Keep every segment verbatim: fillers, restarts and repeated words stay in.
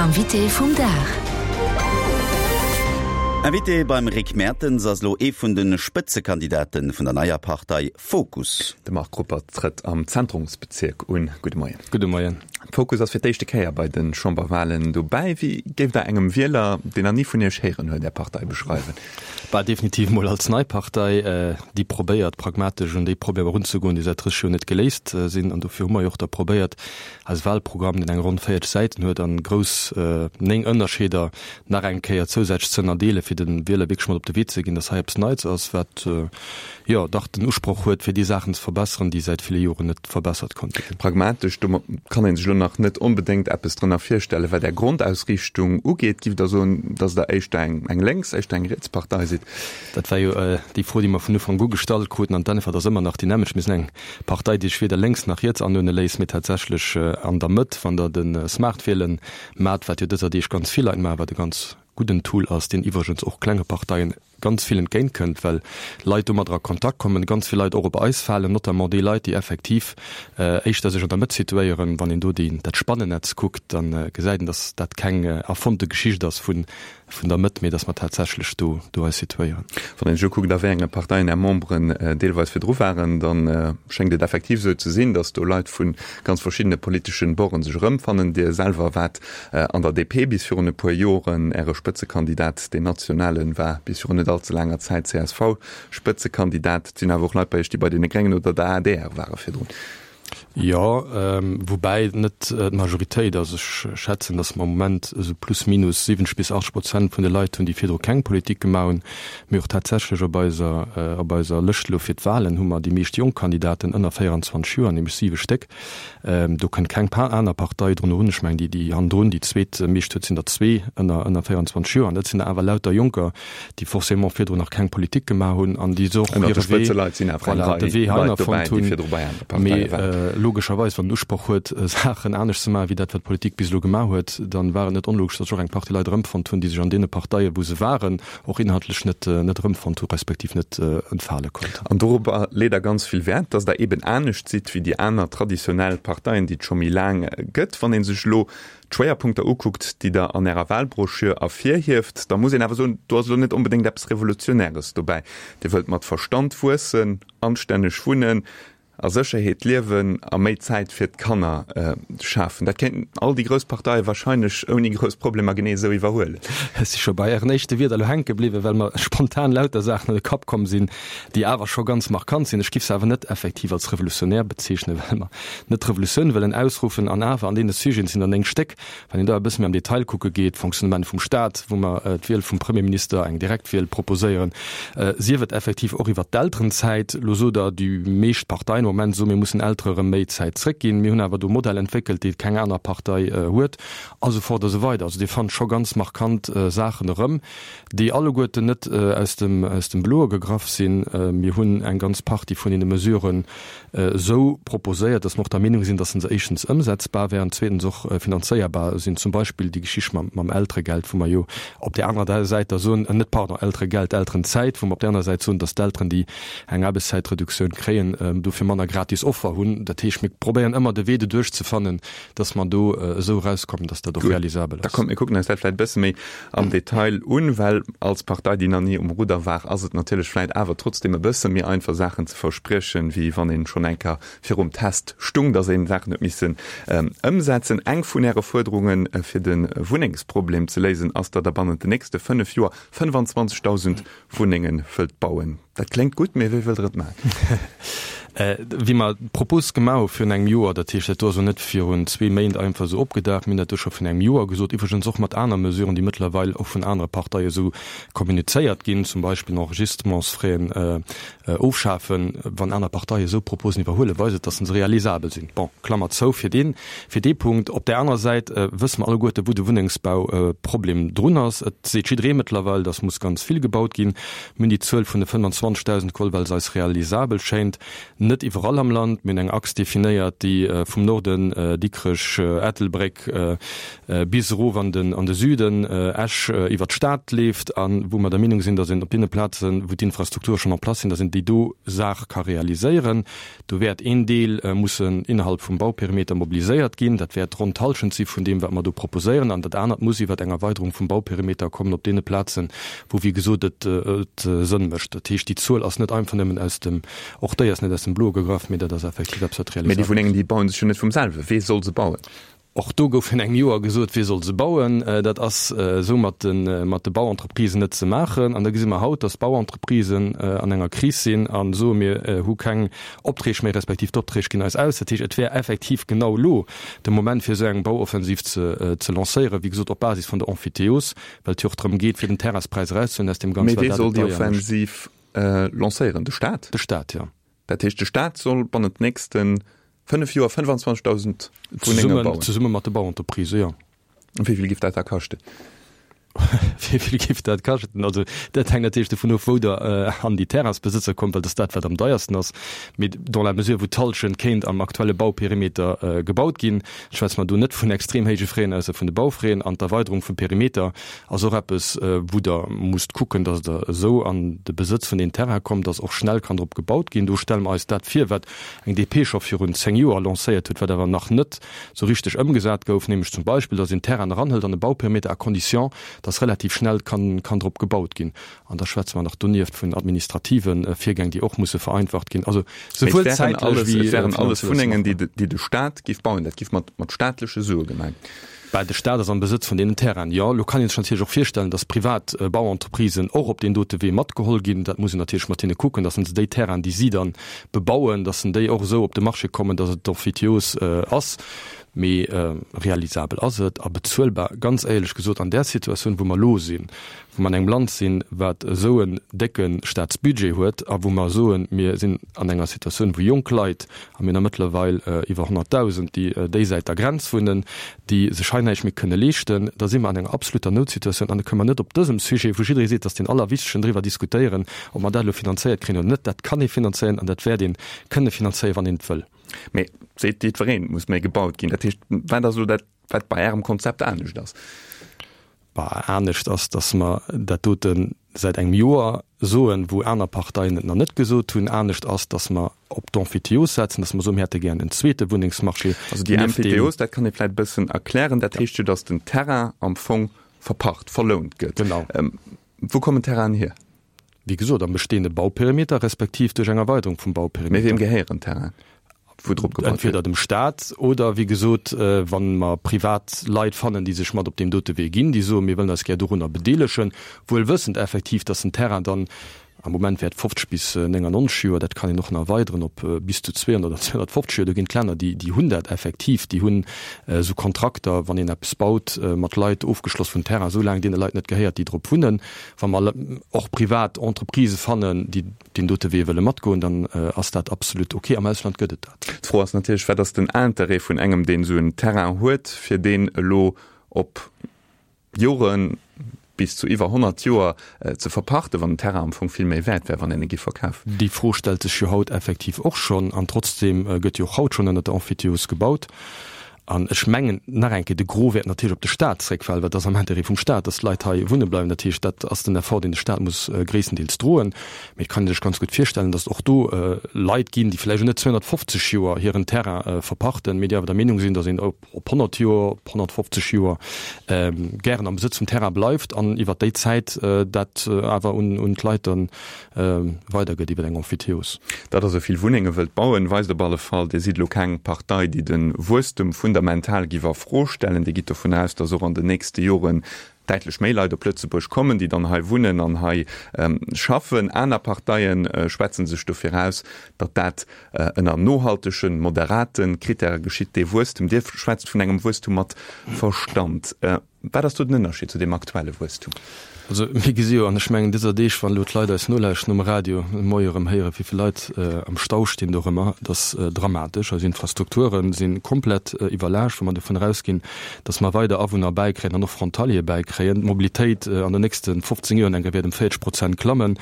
Invité vum Dag. Invité beim Rick Mertens ass lo ee vun de Spëtzekandidate vun der neier Partei Fokus. De Marc Ruppert trëtt am Zentrumsbezierk un. Gudde Moien. Gudde Moien. Fokus ass fir d'éischte Kéier bei de Chamberwalen dobäi. Wéi géift Der engem Wieler, deen nach ni vun Iech héieren huet, Är Partei beschreiwen? Bah, definitiv mol als nei Partei, déi probéiert, pragmatesch un déi Problemer erunzegoen, déi säit drësseg Joer net geléist sinn. An dofir hu mer jo och da probéiert, eise Wahlprogramm, deen eng ronn véierzeg Säiten huet, an grouss néng Ënnerscheeder nach eng Kéier zousätzlech ze ënnerdeelen, fir de Wieler wierklech mat op de Wee ze ginn, dass hei eppes Neits ass, wat jo dach den Usproch huet, fir déi Saachen ze verbesseren, déi säit ville Joren net verbessert konnte ginn. Pragmatesch, domat kann ee sech elo nach net onbedéngt eppes drënner virstellen. Wat Är Grondausriichtung ugeet, giff Der soen, dass Der éischter eng eng lénks, éischter eng riets Partei sidd? Dat war jo déi Fro, déi mer vun Ufank u gestallt kruten, an d'Äntwert ass ëmmer nach déi nämmlecht, Mir sinn eng Partei, déi sech weder lénks nach riets anuerdne léisst, mee tatsächlech an der Mëtt. Wann Der de Smartwielen maacht, wat jo dëser Deeg ganz vill Leit maachen, wat e ganz gudden Tool ass, deen iwwregens och klenge Parteien ganz vill entgéint kënnt, well Leit domadder a Kontakt kommen, ganz vill Leit och op eis falen, notamment déi Leit, déi effektiv éischter sech an der Mëtt situéieren. Wann een do déi, dat Spannennetz kuckt, da gesäit een, datt dat keng erfonnte Geschicht ass vun, vun der Mëtt, mee datt mer tatsächlech do, do eis situéieren. Wann een sech ukuckt, a wéi enge Parteien Är Memberen deelweis virdru waren, da schéngt et effektiv esou ze sinn, datt do Leit vu ganz verschiddene politeschen Borden sech erëmfannen. Dir selwer waart an der D P bis virun e puer Joren. Äre Spëtzekandidat, deen nationalen, war bis virun net all ze laanger Zäit C S V-Spëtzekandidat. Et sinn awer och Leit bei Iech, déi bei deene Gréngen oder der A D R ware virdrun. Jo, woubäi net d'Majoritéit ass. Ech schätzen, datt mer am Moment esou plus minus siwwenzeg bis achtzeg Prozent vun de Leit hunn, déi virdru keng Politik gemaach hunn. Mee och tatsächlech op eiser, op eiser Lëscht elo fir d'Wahlen hu mer déi meescht jonk Kandidaten ënner véierundzwanzeg Joer, nämlech siwe Stéck. Do kënnt keng aner Partei drun erun. Ech mengen, déi, déi hannendrun déi zweet meescht huet, sinn der zwee ënner, ënner véierundzwanzeg Joer. An dat sinn der awer lauter Jonker, déi forcément virdrun nach keng Politik gemaach hunn an déi se och hire Wee, voilà, de Wee heihinner fonnt hunn. Mee logescherweis, wann den Usproch huet, Saachen anescht ze maachen, wéi dat, wat d'Politik bis elo gemaach huet, dann war et net onlogesch, datt sech och eng Partie Leit erëmfonnt hunn, déi sech an deene Parteien, wou se waren, och inhaltlech net, net erëmfonnt hu respektiv net entfale konnten. An dorobber leet Der ganz vill Wäert, datt Der eeben anescht sidd wéi déi aner traditionell Parteien, déi et scho méi laang gëtt. Wann ee sech elo d'Schwéierpunkter ukuckt, déi Der an Ärer Wahlbroschür ervirhieft, da muss een awer soen, do ass elo net onbedéngt eppes Revolutionäres dobäi. Dir wëllt mat Verstand wuessen, anstänneg wunnen, a Sécherheet liewen a méi Zäit fir d'Kanner schafen. Dat kéinten all déi grouss Parteie wahrscheinlech ouni grouss Problemer genee esou iwwerhuelen. Ech si scho bei Ären éischte Wierder elo hänke bliwwen, well mer spontan lauter Saachen an de Kapp komm sinn, déi awer scho ganz markant sinn. Ech giff se awer net effektiv als revolutionär bezeechnen, well mer net d'Revolutioun wëllen ausruffen. An awer an deene Sujeten sinn der néng Stéck. Wann een da e bësse méi am Detail kucke geet, Fonctionnement vum Staat, wou mer d'Wiel vum Premierminister, eng Direktwiel proposéieren, sief et effektiv och iwwert d'Elterenzäit. Elo sot Der, déi meescht Parteien am Moment soen, mir mussen Eltere rëm méi Zäit zréckginn. Mir hunn awer do e Modell entwéckelt, dee keng aner Partei huet, a sou fort a sou weider. Also Dir fannt scho ganz markant Saachen erëm, déi alleguerten net aus dem, aus dem Bloe gegraff sinn. Mir hunn eng ganz Partie vun deene Mesuren esou proposéiert, dass mer och der Meenung sinn, dass se éischtens ëmsetzbar wären, zweetens och finanzéierbar sinn. Zum Beispill déi Geschicht mam, mam Elteregeld, wou mer jo op där anerer Säit da soen, net, pardon, Elteregeld, Elterenzäit, wou mer op där anerer Säit soen, dass d'Elteren, déi eng Aarbechtszäitreduktioun kréien, dofir manner gratis Offer hunn. Dat heescht, mir probéieren ëmmer de Wee doduerch ze fannen, dass mer do esou erauskommen, dass dat och realisabel ass. Da ass. Kommt, mir kucken eis dat vläicht e bësse méi am Detail un, well als Partei, déi nach ni um Rudder war, ass et natierlech vläicht awer trotzdem e bësse méi einfach, Saachen ze verspriechen, wéi wann een schonn eng Kéier virum Test stung, dass een Saachen huet missen ëmsetzen. Eng vun Äre Fuerderunge fir de Wunnengsproblem ze léisen ass, datt Der bannent den nächste fënnef Joer fënnefanzwanzegdausend Wunnenge wëllt bauen. Dat kléngt gutt, mee wéi wëllt Der et maachen? Wéi mer d'Propos gemaach hu virun engem Joer, dat heescht, dat do ass elo net virun zwee Méint einfach esou opgedaucht, mir hunn dat do scho virun engem Joer gesot, iwwregens och mat aner Mesuren, déi mëttlerweil och vun anere Parteie esou kommunizéiert ginn, zum Beispill den Enregistrementsfraisen ofschafen. Wann aner Parteie esou Proposen iwwerhuelen, weist et, dass se realisabel sinn. Bon, Klammer zou fir deen, fir dee Punkt. Op där anerer Säit wësse mer alleguerte wou de Wunnengsbauproblem drun ass. Et seet jidderee mëttlerweil, dass muss ganz vill gebaut ginn. Mir hunn déi Zuel vun de fënnfanzwanzegdausend geholl, well se eis realisabel schéint. Net iwwerall am Land. Mir hunn eng Achs definéiert, déi vum Norden, Dikrech, Ettelbréck, bis erof an den an de Süden, Esch, iwwert d'Stad leeft a wou mer der Meenung sinn, datt een op deene Plazen, wou d'Infrastrukture schonn en place sinn, datt een déi do Saach ka realiséieren. Do wäert een Deel mussen innerhalb vum Bauperimeter mobiliséiert ginn. Dat wäert ronn d'Hallschent si vun deem, wat mer do proposéieren. An dat anert muss iwwert eng Erweiterung vum Bauperimeter kommen op deene Plazen, wou, wéi gesot, et Sënn mécht. Dat heescht, déi Zuel ass net einfach nëmmen aus dem, och déi ass net aus dem Bloe gegraff, mee dat ass effektiv eppes, wat realiséiert. Mee déi Wunnengen, déi baue sech jo net vum selwe. Wee soll se bauen? Och do gouf virun engem Joer gesot, wie soll se bauen? Dat ass esou mat de mat de Bauentreprisen net ze maachen. An da gesi mer haut, datt d'Bauentreprisen an enger Kris sinn a soen, mir hu keng Opträg méi, respektiv d'Opträg ginn eis aus. Dat heescht, et wär effektiv genau elo de Moment, fir esou eng Bauoffensiv ze ze lancéieren, wéi gesot op Basis vun der Emphytéose, well et jo och drëm geet, fir den Terrainspräis erauszehuelen aus deem Ganzen, well dat et deier mécht. Mee wee soll déi Offensiv lancéieren? De Staat? De Staat, jo. Dat heescht, de Staat soll bannent nächste fënnef Joer fënnefanzwanzegdausend Wunnenge bauen? Zesumme mat de Bauentreprisen, jo. Wéi vill géif dat da kaschten? Wéi vill géif dat kaschten? Also dat hänkt natierlech dovun of, wou Der an déi Terrainsbesëtzer kommt, well dat ass dat, wat am deiersten ass. Mee dans la mesure, wou d'Hallschent kéint am aktuelle Bauperimeter gebaut ginn, schwätze mer do net vun extrem héije Fräen, ausser vun de Baufräen. An d'Erweiderung vum Perimeter ass och eppes, wou Der musst kucken, datt Der esou an de Besëtz vun deem Terrain kommt, datt och schnell kann drop gebaut ginn. Do stelle mer eis dat vir, wat eng D P scho virun zéng Joer lancéiert huet, wat awer nach net esou richteg ëmgesat gouf, nämlech zum Beispill, datt een Terrainen eranhëlt an e Bauperimeter à condition, datt relativ schnell kann kann drop gebaut ginn. An da schwätze mer nach donieft vun administrative Virgäng, déi och musse vereinfacht ginn. Also souwuel zäitlech wéi finanziell. Et wären alles Wunnengen, déi de Staat géif bauen. Dat géif mat staatleche Sue gemaach ginn. Bah, de Staat ass am Besëtz vun deenen Terrainen, jo. Elo kann ee sech natierlech och virstellen, datt privat Bauentreprisen och op deen dote Wee matgeholl ginn. Dat muss een natierlech mat hinne kucken, datt se déi Terrainen, déi si dann bebauen, datt se déi och esou op de Marché kommen, datt et emphytéose ass. Mee realisabel ass et a bezuelbar, ganz éierlech gesot, an där Situatioun, wou mer elo sinn, wou mer an engem Land sinn, wat esou en décke Staatsbudget huet a wou mer soen, mir sinn an enger Situatioun, wou jonk Leit, a mir hunn der mëttlerweil iwwer honnertdausend, déi déisäit der Grenz wunnen, déi sech hei näischt méi kënne leeschten, da si mer an enger absoluter Noutsituatioun an da kënne mer net op dësem Sujet, wou jidderee seet, dat ass deen allerwichtegsten, driwwer diskutéieren, ob mer dat elo finanzéiert kréien oder net. Dat kann ee finanzéieren an dat wäert ee kënne finanzéieren, wann een et wëll. Mee seet jiddwereen, et muss méi gebaut ginn. Dat heescht, wat ass elo dat, wat bei Ärem Konzept anescht ass? Bah, anescht ass, datt mer dat dote säit engem Joer soen, wou aner Parteien et nach net gesot hunn. Anescht ass, datt mer op d'Emphytéose setzen, datt mer soen, mir hätte gären en zweete Wunnengsmarché. Also déi Emphytéose, dat kann ee vläicht e bëssen erklären, dat heescht jo, datt den Terrain am Fong verpacht, verlount gëtt. Genau. Wou kommen d'Terrainen hier? Wéi gesot, am bestehende Bauperimeter respektiv duerch eng Erweiterung vum Bauperimeter. Mee wiem gehéieren d'Terrainen, wou drop gebaut gëtt? Entweder dem Staat oder, wéi gesot, wa mer privat Leit fannen, déi sech mat op deem dote Wee ginn, déi soen, mir wëllen eis gär dorunner bedeelegen, wuel wëssend effektiv, dass den Terrain dann am Moment wäert fofzeg bis néngannonzeg Joer, dat kann een och nach erweideren op bis zu zweehonnert oder zweehonnertfofzeg Joer, do ginn et Länner, déi, déi hunn dat effektiv, déi hunn esou Kontrakter, wann een eppes baut, mat Leit ofgeschloss, wou den Terrain esou laang deene Leit net gehéiert, déi drop wunnen. Wa mer och privat Entreprisë fannen, déi deen dote Wee wëlle matgoen, dann ass dat absolut ok. Am Ausland gëtt et dat. D'Fro ass natierlech, Wat ass den Interêt vun engem, deen esou en Terrain huet, fir deen elo op Joren, bis zu iwwer honnert Joer ze verpachten, wann den Terrain am Fong vill méi wäert wär, wann een e giff verkafen? Déi Fro stellt sech jo haut effektiv och schonn. An trotzdeem gëtt jo och haut schonn ënnert der Emphytéose gebaut. An ech mengen, nach eng Kéier, de Gros wäert natierlech op de Stat zréckfalen, well et ass am Intérêt vum Stat, dass d'Leit hei wunne bleiwen. Dat heescht, dat ass den Effort, deen de Stat muss gréisstendeels droen. Mee et kann ee sech ganz gutt virstellen, dass et och do Leit ginn, déi vläicht och net zweehonnertfofzeg Joer hiren Terrain verpachten, mee déi awer der Meenung sinn, dass een op honnert Joer, op honnertfofzeg Joer gären am Besëtz vum Terrain bleift an iwwert déi Zäit dat awer un d'Leit dann weidergëtt iwwer eng Emphytéose. Datt Der esou vill Wunnenge wëllt bauen, weist op alle Fall, Dir sidd elo keng Partei, déi de Wuesstem fundamental giff a Fro stellen. Dir gitt dovun aus, datt och an den nächste Joren däitlech méi Leit op Lëtzebuerg kommen, déi dann hei wunnen an hei schaffen. Aner Parteie schwätze sech dofir aus, datt dat ënner nohaltegen, moderate Krittäre geschitt, dee Wuesstem. Dir schwätzt vun engem Wuesstum mat Verstand. Wat ass do den Ënnerscheed zu deem aktuelle Wuesstum? Also mir gesi jo, an ech mengen dëser Deeg, wann elo d'Leit eis nolauschten um Radio, de Moie erëm héieren, wéi vill Leit am Stau stinn dorëmmer, dat ass dramatesch. Eis Infrastrukture si komplett iwwerlaascht, wa mer dovun erausginn, datt mer weider Awunner bäikréien an och Frontaliere bäikréien, d'Mobilitéit an den nächste fofzéng Joer enke wäert ëm véierzeg Prozent klammen,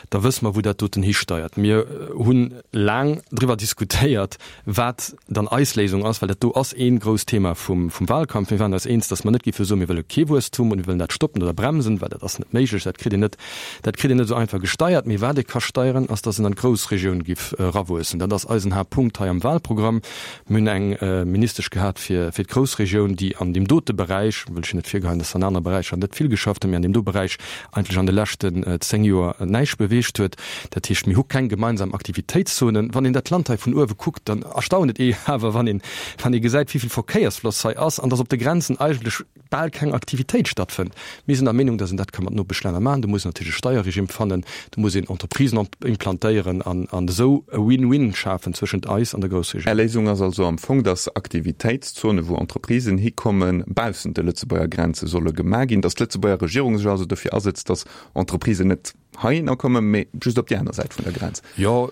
da wësse mer, wou dat doten histeiert. Mir hu laang driwwer diskutéiert, wat dann eis Léisung ass, well dat do ass ee grousst Thema vum Wahlkampf. Mir waren eis eens, datt mer net géife soen, mir wëlle kee Wuesstum und mir wëllen dat stoppen oder bremsen, well dat ass net méiglech, dat kritt een net, dat kritt een net esou einfach gesteiert. Mee wat ee ka steieren, ass, datt en an d'Groussregioun giff erawuessen. Dat ass eisen Haaptpunkt hei am Wahlprogramm. Mir hunn eng Ministesch gehat fir, fir d'Groussregioun, déi an deem dote Beräich, wëll ech jo net virgeheien, datt se an anere Beräicher net vill geschafft huet, mee an deem do Beräich eigentlech an de leschten zéng Joer näischt beweegt huet. Dat heescht, mir hu keng gemeinsam Aktivitéitszonen. Wann een dat Land hei vun uewe kuckt, dann erstaunt et ee awer, wann een, wann ee gesäit, wéi vill Verkéiersfloss hei ass an datt op de Grenzen eigentlech bal keng Aktivitéit stattfënnt. Mir sinn der Meenung, datt een dat ka mat Nopeschlänner maachen. Do muss een natierlech e Steierregime fannen, do muss een Entreprisen implantéieren an an esou e Win-win schafen zwëschent eis an der Groussregioun. Är Léisung ass also am Fong, datt Aktivitéitszonen, wou Entreprisen hikommen, baussent de Lëtzebuerger Grenze solle gemaach ginn, datt d'Lëtzebuerger Regierung sech also dofir asetzt, datt Entreprisen net heihinner kommen, mee just op déi aner Säit vun der Grenz. Jo,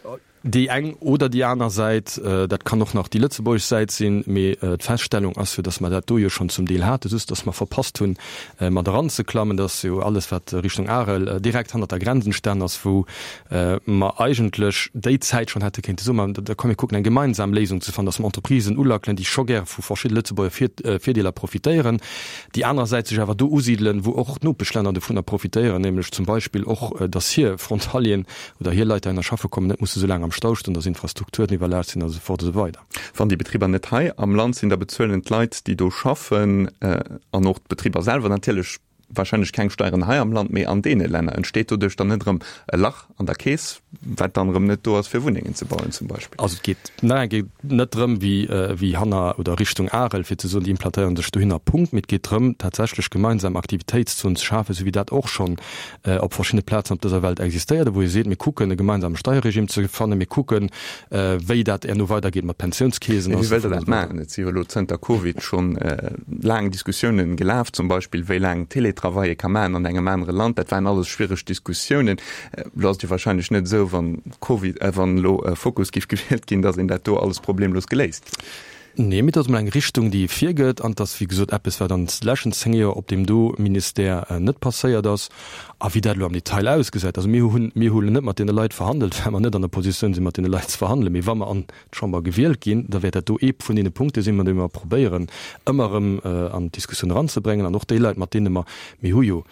déi eng oder déi aner Säit, dat kann och nach déi lëtzebuergesch Säit sinn, mee d'Feststellung ass jo, datt mer dat do jo schonn zum Deel haten, just datt mer verpasst hunn, mat eranzeklammen. Dat ass jo alles, wat Richtung Arel direkt hannert der Grenz entstan ass, wou mer eigentlech déi Zäit schonn hätte kéinte soen, ma da komm mir kucken eng gemeinsam Léisung ze fannen, datt mer Entreprisen ulackelen, déi scho gäre vu verschidde Lëtzebuerger Virdeeler profitéieren, déi anerersäits sech awer do usidelen, wou och d'Nopeschlänner dovunner profitéieren, nämlech zum Beispill och, datt hir Frontalieren oder hir Leit, déi heihinner schaffe kommen, net musse sou laang am Stau stoen, datt Infrastrukturen iwwerlaascht sinn a sou fort a sou weider. Wann déi Betriber net hei am Land sinn, da bezuelen d'Leit, déi do schaffen, an och d'Betriber selwer natierlech wahrscheinlech keng Steieren hei am Land, mee an deene Länner. Entsteet doduerch dann net erëm e Lach an der Keess, wat dann erëm net do ass, fir Wunnengen ze bauen zum Beispill? Also et geet nach eng Kéier net drëm, wéi, wéi hanner oder Richtung Arel, fir ze soen, déi implantéieren sech dohinner, Punkt. Mee et geet drëm, tatsächlech gemeinsam Aktivitéitszonen ze schafen, esou wéi dat och schonn op verschiddene Plazen op dëser Welt existéiert, wou ee seet, mir kucken e gemeinsame Steierregime ze fannen, mir kucken, wéi dat herno weidergeet mat Pensiounskeesen. Mee wéi wëllt Der dat maachen? Et si jo elo zënter Covid schonn laang Diskussiounen gelaf, zum Beispill wéi laang Teletravail ee ka maachen an engem anere Land. Dat waren alles schwiereg Diskussiounen. Elo ass et jo wahrscheinlech net esou, wann Covid, wann elo Fokus géif gewielt ginn, datt een dat do alles problemlos geléist kritt. Nee, mee et ass emol eng Richtung, déi ee virgëtt, an et ass, wéi gesot, eppes, wat an de leschten zéng Joer op deem do Ministère net passéiert ass. A wéi dat elo am Detail ausgesäit, also mir hunn, mir hu net mat deene Leit verhandelt, well mer net an der Positioun sinn, mat deene Leit ze verhandelen. Mee wa mer an d'Chamber gewielt ginn, da wäert dat do ee vun deene Punkte sinn, mat deene mer probéieren, ëmmer erëm an d'Diskussioun eranzebréngen. An och déi Leit, mat deene mer, mir hu jo,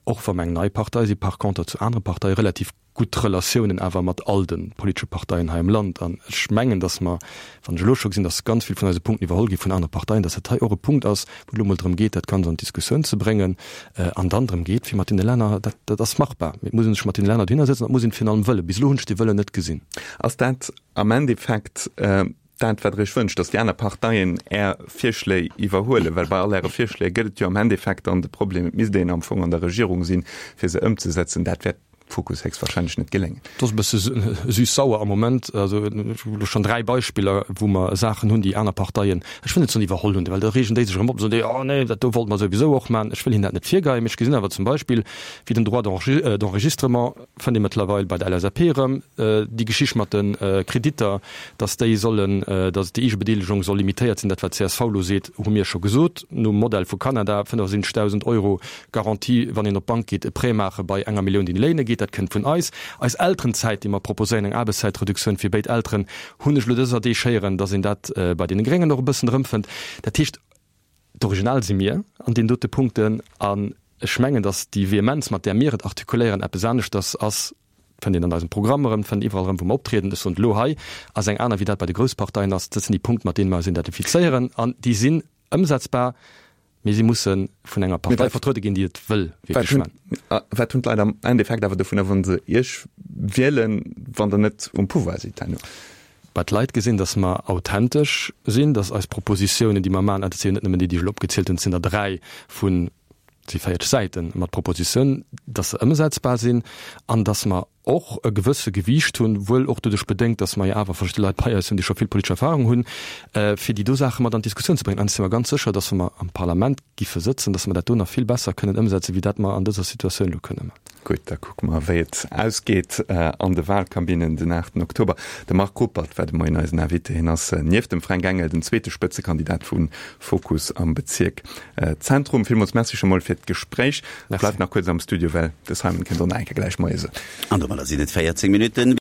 och wa mer eng nei Partei sinn, par conter zu anere Parteie relativ gutt Relatiounen awer mat all de politesche Parteien hei am Land. An ech mengen, datt mer, wann ech elo scho gesinn, datt ganz vill vun eise Punkten iwwerholl gi vun anere Parteien, datt dat hei och e Punkt ass, wou et elo emol drëm geet, dat Ganzt an d'Diskussioun ze bréngen an dann drëm geet, fir mat deene Länner, dat, dat ass machbar, mee et muss ee sech mat deene Länner dohinner sëtzen an et muss een et virun allem wëllen. Bis elo hunn ech dee Wëllen net gesinn. Ass dat am Endeffekt dat, wat Der Iech wënscht, datt déi aner Parteien Är Virschléi iwwerhuelen? Well bei all Äre Virschléi gëtt et jo am Endeffekt dann de Problem, et misst een am Fong an der Regierung sinn, fir se ëmzesetzen. Dat wäert Fokus héchstwahrscheinlech net geléngen. Et ass e bësse süß-sauer am Moment. Also ech hu elo schonn dräi Beispiller, wou mer Saachen hunn, déi aner Parteien, ech wëll net soen iwwerholl hunn, well da reegen déi sech erëm op, soen déi, oh nee, dat do wollte mer souwisou och maachen. Ech wëll hinnen dat net virgeien, mee ech gesinn awer zum Beispill, wéi den Droit d'enregistrement fënnt ee mëttlerweil bei der L S A P erëm, déi Geschicht mat de Kreditter, dass déi sollen, dass déi Eegebedeelegung soll limitéiert sinn, dat wat d'C S V elo seet, hu mir scho gesot, nom Modell vu Kanada, fënnefasiwwenzegdausend Euro Garantie, wann een op d'Bank geet, e Prêt maache bei enger Millioun, déi een léine geet, dat kënnt vun eis. Eis Elterenzäit, déi mer proposéieren, eng Aarbechtszäitreduktioun fir béid Elteren, hunn ech elo dëser Deeg héieren, dass een dat bei deene Gréngen och e bëssen erëmfënnt. Dat heescht, d'Original si mir an deenen dote Punkten. An ech mengen, dass déi Vehemenz, mat där mir et artikuléieren, eppes aneschters ass, fënnt een an eisem Programm erëm, fënnt iwwerall erëm, wou mer optrieden. Ech soen et elo hei, ass eng aner, wéi dat bei de grouss Parteien ass. Dat sinn déi Punkte, mat deene mer eis identifizéieren. An déi sinn ëmsetzbar. Mee si musse vun enger Partei vertruede ginn, déi et wëll wierklech maachen. Wat hunn d'Leit am Endeffekt awer dovunner, wa se Iech wielen, wann Der net um Pouvoir sidd herno? Bah, d'Leit gesinn, datt mer authentesch sinn, datt eis Propositiounen, déi mer maachen, an dat si jo net nëmmen déi, déi ech elo opgezielt hunn, et sinn der dräi vun, et si véierzeg Säite mat Propositiounen, datt se ëmsetzbar sinn an datt mer och e gewësse Gewiicht hunn, wuel och doduerch bedéngt, dass mer jo awer verschidde Leit bei eis hunn, déi scho vill politesch Erfahrung hunn, fir déi do Saache mat an d'Diskussioun ze bréngen. An ech si mer ganz sécher, dass wa mer am Parlament giffe sëtzen, dass mer dat do nach vill besser kënnen ëmsetzen, wéi dat mer an dëser Situatioun elo kënnen maachen. Gutt, da kucke mer, wéi et ausgeet an de Wahlkabinnen den aachten Oktober. De Marc Ruppert war de Moien eisen Invité. Hien ass nieft dem Fränk Engel den zweete Spëtzekandidat vu Fokus am Bezierk Zentrum. Villmools Merci scho mol fir d'Gespréich. Bleift nach kuerz am Studio, well de Simon kënnt och nach eng Kéier gläich Moie soen. An domadder sinn et véierzéng Minutten.